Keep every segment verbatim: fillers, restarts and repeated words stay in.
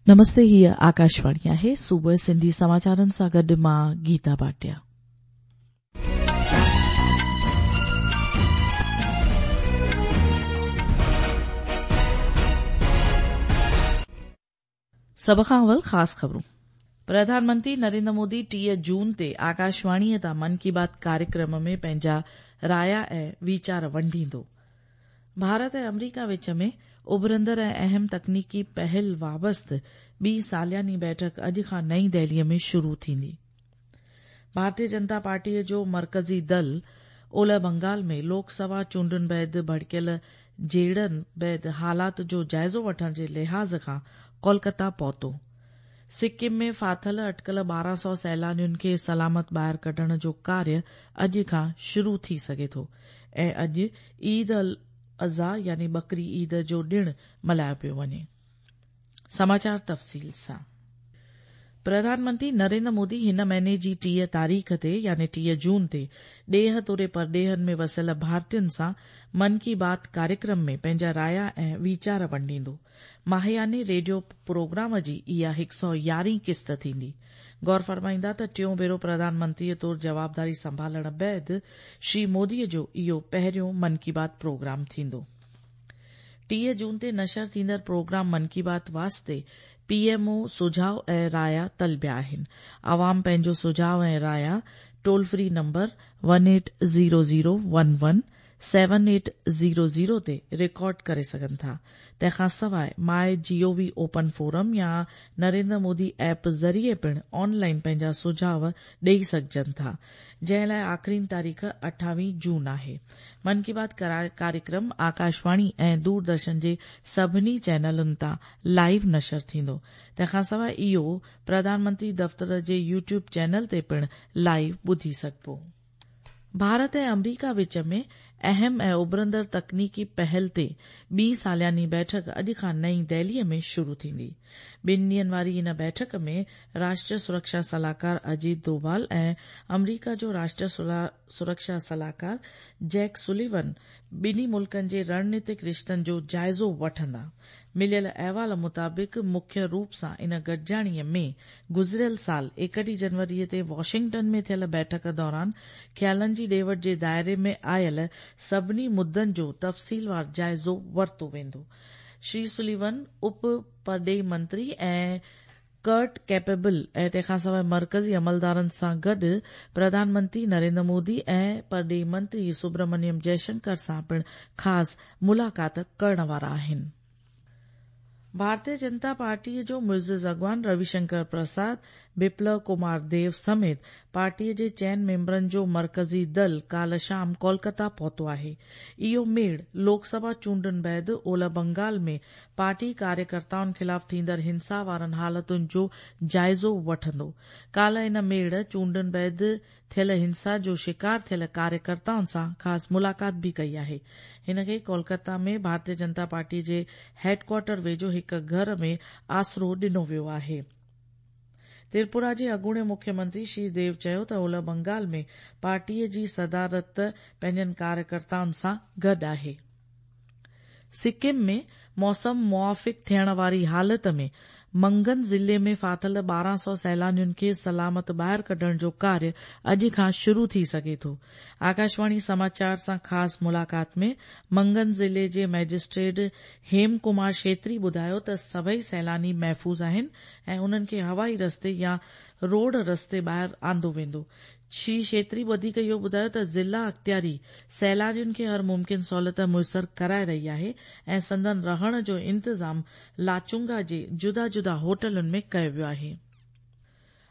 नमस्ते, हीअ आकाशवाणी आहे। सुबुह सिंधी समाचारनि सां गॾु मां गीता भाटिया। सभ खां अवल ख़ासि ख़बरूं। प्रधानमंत्री नरेंद्र मोदी टीह जून ते आकाशवाणीअ तां मन की बात कार्यक्रम में पंहिंजा राया ऐं वीचार वंडींदो। भारत ऐं अमरीका विच में उभरंदड़ ऐं अहम तकनीकी पहल वाबस्ते ॿी सालियानी बैठक अॼु खां नई दिल्लीअ में शुरू थींदी। भारतीय जनता पार्टीअ जो मर्कज़ी दल ओलह बंगाल में लोकसभा चूंडुनि बाद भड़कियल झेड़नि बाद हालात जो जाइज़ो वठण जे लिहाज़ खां कोलकाता पहुतो। सिक्किम में फाथल अटकल ॿारहं सौ सैलानियुनि खे सलामत ॿाहिरि कढण जो कार्य अॼु खां शुरू थी सघे थो ऐं अॼु ईद अल अज़हा यानी बकरी ईद जो ॾिण मल्हायो पियो वञे। समाचार तफ़सील सां। प्रधानमंत्री नरेंद्र मोदी हिन महीने जी टीह तारीख़ ते यानी टीह जून ते ॾेह तोड़े परॾेहनि में वसियल भारतीयुनि सां मन की बात कार्यक्रम में पंहिंजा राया ऐं वीचार वंडींदो। माहियाने रेडियो प्रोग्राम जी इहा हिकु सौ यारहीं क़िस्त थींदी। गौर फरमाईंदा त टियों भेरो प्रधानमंत्रीअ तौरु जवाबदारी संभालण बाद श्री मोदीअ जो इहो पहिरियों मन की बात प्रोग्राम थींदो। टीह जून ते नशर थींदड़ प्रोग्राम मन की बात वास्ते पीएमओ सुझाव ऐं राया तलबिया आहिनि। आवाम पंहिंजो सुझाव ऐं राया toll free number one eight zero zero one one seven eight zero zero ते रिकॉर्ड करे सघनि था। तंहिंखां सवाइ my G O V open forum या नरेंद्र मोदी ऐप ज़रिए पिणु ऑनलाइन पंहिंजा सुझाव ॾेई सघजनि था, जंहिं लाइ आख़िरी तारीख़ अठावीह जून आहे। मन की बात कार्यक्रम आकाशवाणी ऐं दूरदर्शन जे सभिनी चैनलुनि तां लाइव नशर थींदो। तंहिंखां सवाइ इहो प्रधानमंत्री दफ़्तर जे यूट्यूब चैनल ते पिणु लाइव ॿुधी सघिबो। भारत ऐं अमरीका विच में अहम ऐं उभरंदड़ तकनीकी पहल ते ॿी सालियानी बैठक अॼु खां नई दिल्लीअ में शुरू थींदी। ॿिनि ॾींहंनि वारी इन बैठक में राष्ट्रीय सुरक्षा सलाहकार अजीत डोभाल ऐं अमरीका जो राष्ट्रीय सुरक्षा सलाहकार जैक सुलिवन ॿिन्ही मुल्कनि जे रणनीतिक रिश्तनि जो जाइज़ो वठंदा। मिलियल अहवाल मुताबिक़ मुख्य रूप सां इन गॾिजाणीअ में गुज़िरियल साल एकटीह जनवरीअ ते वॉशिंगटन में थियल बैठक दौरान ख़्यालनि जी ॾे वठ जे दायरे में आयल सभिनी मुद्दनि जो तफ़सीलवार जाइज़ो वरितो वेंदो। श्री सुलिवन उप परॾेही मंत्री ऐं कर्ट कैपेबल ऐं तंहिंखां सवाइ मर्कज़ी अमलदारनि सां गॾु प्रधानमंत्री नरेंद्र मोदी ऐं परॾेही मंत्री सुब्रमण्यम जयशंकर सां पिणु ख़ासि मुलाक़ात करण वारा आहिनि। भारतीय जनता पार्टीअ जो मुइज़िज़ अॻवान रविशंकर प्रसाद, बिप्लव कुमार देव समेत पार्टीअ जे चइनि मेंबरनि जो मर्कज़ी दल काल्ह शाम कोलकाता पहुतो आहे। इहो मेड़ लोकसभा चूंडुनि बाद ओलह बंगाल में पार्टी कार्यकर्ताउनि ख़िलाफ़ थींदड़ हिंसा वारनि हालतुनि जो जाइज़ो वठंदो। काल्ह इन मेड़ चूंडुनि बाद थियल हिंसा जो शिकार थियल कार्यकर्ताउनि सां ख़ासि मुलाक़ात बि कई आहे। हिन खे कोलकाता में भारतीय जनता पार्टी जे हेडक्वार्टर वेझो हिकु घर में आसरो ॾिनो वियो आहे। त्रिपुरा जे अॻूणे मुख्यमंत्री श्री देव चयो त ओलह बंगाल में पार्टीअ जी सदारत पंहिंजनि कार्यकर्ताउनि सां गॾु आहे। सिक्किम में मौसम मुआफ़िक़ थियण वारी हालत में मंगन ज़िले में फाथल ॿारहं सौ सैलानियुनि खे सलामत ॿाहिरि कढण जो कार्य अॼु खां शुरू थी सघे थो। आकाशवाणी समाचार सां ख़ासि मुलाक़ात में मंगन ज़िले जे मैजिस्ट्रेट हेम कुमार छेत्री ॿुधायो त सभई सैलानी महफ़ूज़ आहिनि ऐं उन्हनि खे हवाई रस्ते या रोड रस्ते ॿाहिरि आंदो वेंदो। श्री छेत्री वधीक इहो ॿुधायो त ज़िला अख़्तियारी सैलानियुनि खे हर मुमकिन सहूलियत मुयसर कराए रही आहे ऐं संदन रहण जो इंतज़ाम लाचुंगा जे जुदा जुदा होटलुनि में कयो वियो आहे।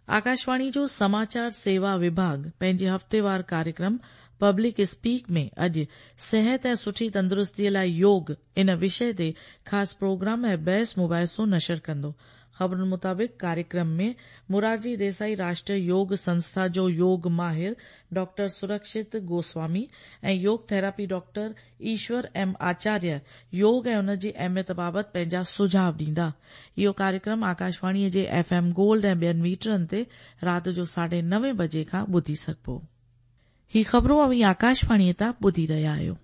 आकाशवाणी जो समाचार सेवा विभाग पंहिंजे हफ़्तेवार कार्यक्रम पब्लिक स्पीक में अॼु सिहत ऐं सुठी तंदुरुस्तीअ लाइ योग इन विषय ते ख़ासि प्रोग्राम ऐं बहस मुबाहिसो नशर कंदो। ख़बरुनि मुताबिक़ कार्यक्रम में मुरारजी देसाई राष्ट्रीय योग संस्था जो योग माहिर डॉक्टर सुरक्षित गोस्वामी ऐं योग therapy doctor Ishwar M Acharya योग ऐं उन जी अहमियत बाबति पंहिंजा सुझाव ॾींदा। इहो कार्यक्रम आकाशवाणीअ जे एफ एम गोल्ड ऐं ॿियनि मीटरनि ते राति जो साढे नवे बजे खां ॿुधी सघिबो। ही ख़बरूं अव्हीं आकाशवाणीअ तां ॿुधी रहिया आहियो।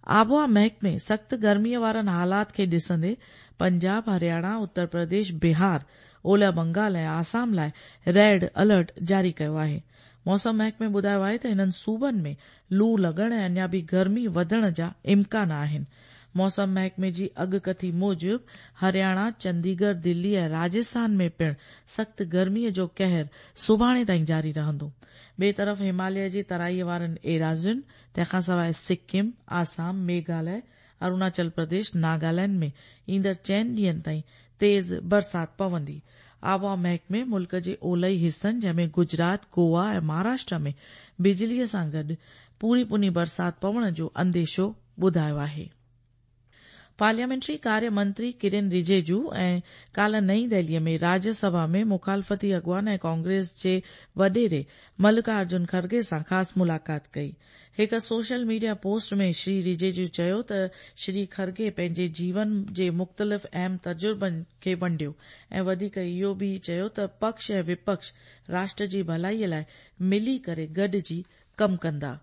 आबहावा महकमे सख़्तु गर्मीअ वारनि हालात खे ॾिसंदे پنجاب، هرياڻا، اتر پرديش، بهار، اولهه بنگال ۽ آسام لاء ريڊ الرٽ جاري ڪيو آهي. موسم محڪمي ٻڌايو آهي ته هنن صوبن ۾ لو لڳڻ ۽ اڃا به گرمي وڌڻ جا امڪان آهن. موسم محڪمي جي اڳڪٿي موجب هرياڻا، چنديڳڙهه، دلي ۽ راجسٿان ۾ پڻ سخت گرميء جو قهر سڀاڻي تائين جاري رهندو. ٻئي طرف هماليه جي ترائيء وارن ايراضين، تنهن کان سواء سڪم، آسام، ميگهاليه، اروناچل پرديش، ناگالينڊ ۾ ايندڙ چئن ڏينهن تائين تيز برسات پوندي. آبهوا محڪمي ملڪ جي اولهي حصن جنهن ۾ گجرات، گوا ۽ مهاراشٽر ۾ بجليء سان گڏ پوري پوني برسات پوڻ جو انديشو ٻڌايو آهي. پارليامينٽري ڪاريه منتري ڪرن رجيجو ۽ ڪالهه نئين دهليء ۾ راجيه سڀا ۾ مخالفتي اڳواڻ ۽ ڪانگريس جي وڏيري ملڪا ارجن کرگي سان خاص ملاقات ڪئي. هڪ سوشل ميڊيا پوسٽ ۾ شري رجيجو چيو ته شري کرگي پنهنجي جيون جي مختلف اهم تجربن کي ونڊيو ۽ وڌيڪ اهو به چيو ته پڪش ۽ وپڪش راشٽر جي ڀلائيء لاء ملي ڪري گڏجي ڪم ڪندا.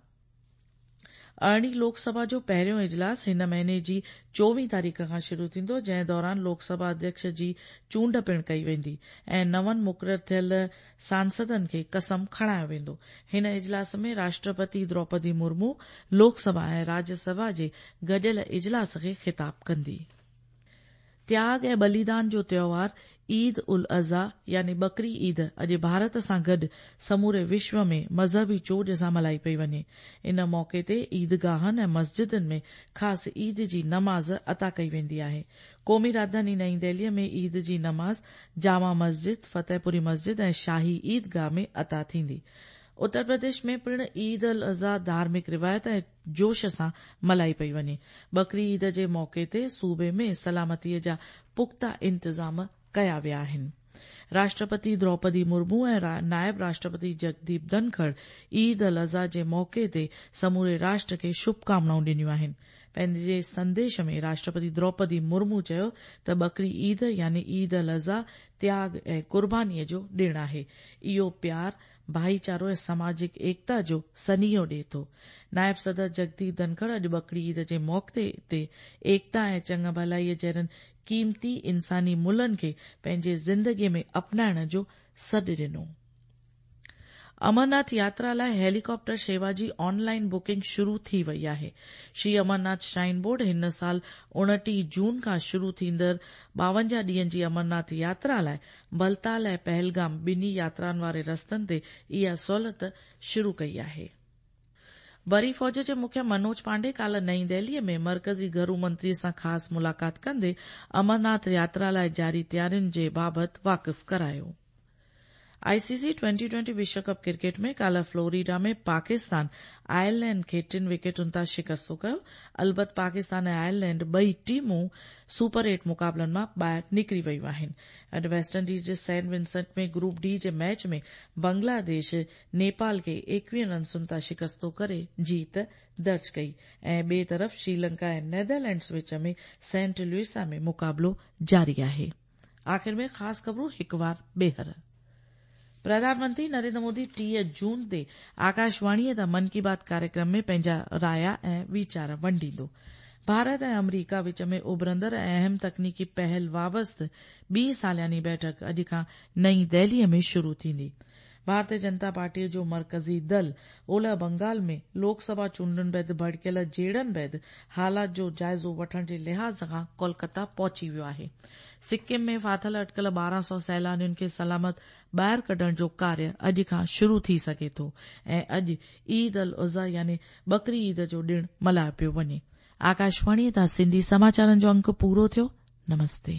ارڙهين لوڪ سڀا جو پهريون اجلاس هن مهيني جي چوويهه تاريخ کان شروع ٿيندو، جنهن دوران لوڪ سڀا اڌيڪش جي چونڊ پڻ ڪئي ويندي ۽ نون مقرر ٿيل سانسدن کي قسم کڻايو ويندو. هن اجلاس ۾ راشٽرپتي دروپدي مرمو لوڪ سڀا ۽ راجيه سڀا جي گڏيل اجلاس کي خطاب ڪندي. تياڳ ۽ ٻليدان جو تيوهار عيد ال اضحيٰ يعني ٻڪري عيد اڄ ڀارت سان گڏ سموري وشو ۾ مذهبي چوڄ سان ملهائي پئي وڃي. ان موقعي تي عيدگاهن ۽ مسجدن ۾ خاص عيد جي نماز عطا ڪئي ويندي آهي. قومي راڄڌاني نئين دهليء ۾ عيد جي نماز جامع مسجد، فتح پوري مسجد ۽ شاهي عيدگاهه ۾ عطا ٿيندي. اتر پرديش ۾ پڻ عيد ال اضحيٰ ڌارمڪ روايت ۽ جوش سان ملهائي پئي وڃي. ٻڪري عيد جي موقعي تي صوبي ۾ سلامتيء جا پختا انتظام ڪيا ويا آهن. راشٽرپتي دروپدي مرمو ۽ نائب راشٽرپتي جگديپ ڌنکڙ عيد ال اضحيٰ جي موقعي تي سموري راشٽر کي شڀڪامنائون ڏنيون آهن. پنهنجي سنديش ۾ راشٽرپتي دروپدي مرمو چيو ته ٻڪري عيد يعني عيد ال اضحيٰ تياڳ ۽ قربانيء جو ڏڻ آهي. اهو پيار، ڀائيچارو ۽ سماجڪ ايڪتا جو سنيهو ڏئي ٿو. نائب صدر جگديپ ڌنکڙ اڄ ٻڪري عيد جي موقعي تي ايڪتا ۽ چڱ ڀلائيء جهڙن قيمتي انساني ملهن کي پنهنجي زندگيء ۾ اپنائڻ جو سڏ ڏنو. امرناٿ ياترا لاء هيليڪاپٽر شيوا جي آن لائين بڪنگ شروع ٿي وئي آهي. شري امرناٿ شرائن بورڊ هن سال اڻٽيهه جون کان شروع ٿيندڙ ٻاونجاهه ڏينهن جي امرناٿ ياترا لاء بلتال ۽ پهلگام ٻنهي ياترائن واري رستن تي اها سهولت شروع ڪئي آهي. بري فوج جي مکي منوج پانڊي ڪالهه نئين دهليء ۾ مرڪزي گهرو منتري سان خاص ملاقات ڪندي امرناٿ ياترا لاء جاري تيارين جي بابت واقف ڪرايو. آء سي سي ٽوئنٽي ٽوئنٽي وشو ڪپ ڪرڪيٽ ۾ ڪالهه فلوريڊا ۾ پاڪستان آئرلينڊ کي ٽن وڪيٽن تان شڪست ڪيو. البت پاڪستان ۽ آئرلينڊ ٻئي ٽيمون سپر ايٽ مقابلن مان ٻاهر نڪري ويون آهن. اڄ ويسٽ انڊيز جي سينٽ ونسنٽ ۾ گروپ ڊي جي ميچ ۾ بنگلاديش نيپال کي ايڪويهه رنسن تان شڪست ڪري جيت درج ڪئي ۽ ٻئي طرف شريلنڪا ۽ نيدرلينڊز وچ ۾ سينٽ لوئسا ۾ مقابلو جاري آهي. آخر ۾ خاص خبرون هڪ وار ٻيهر. پرڌان منتري نريندر مودي ٽيهه جون تي آڪاشواڻيء تان من ڪي بات ڪاريڪرم ۾ پنهنجا رايا ۽ ويچار ونڊيندو. ڀارت ۽ آمريڪا وچ ۾ اڀرندڙ ۽ اهم تڪنيڪي پهل وابسته ٻي سالياني بيٺڪ اڄ کان نئين دهليء ۾ شروع ٿيندي. ڀارتيه جنتا پارٽيء جو مرڪزي دل اولهه بنگال ۾ لوڪ سڀا چونڊن بعد ڀڙڪيل جهيڙن بعد حالات جو جائزو وٺڻ جي لحاظ کان ڪولڪتا پهچي ويو آهي. سڪم ۾ ڦاٿل اٽڪل ٻارهن سؤ سيلانين کي سلامت ٻاهر ڪڍڻ جو ڪاريه اڄ کان شروع ٿي سگهي ٿو ۽ اڄ عيد ال اضحيٰ يعني ٻڪري عيد جو ڏڻ ملهايو پيو وڃي. آڪاشواڻيء تان سنڌي سماچارن جو انڪ پورو ٿيو. نمستي.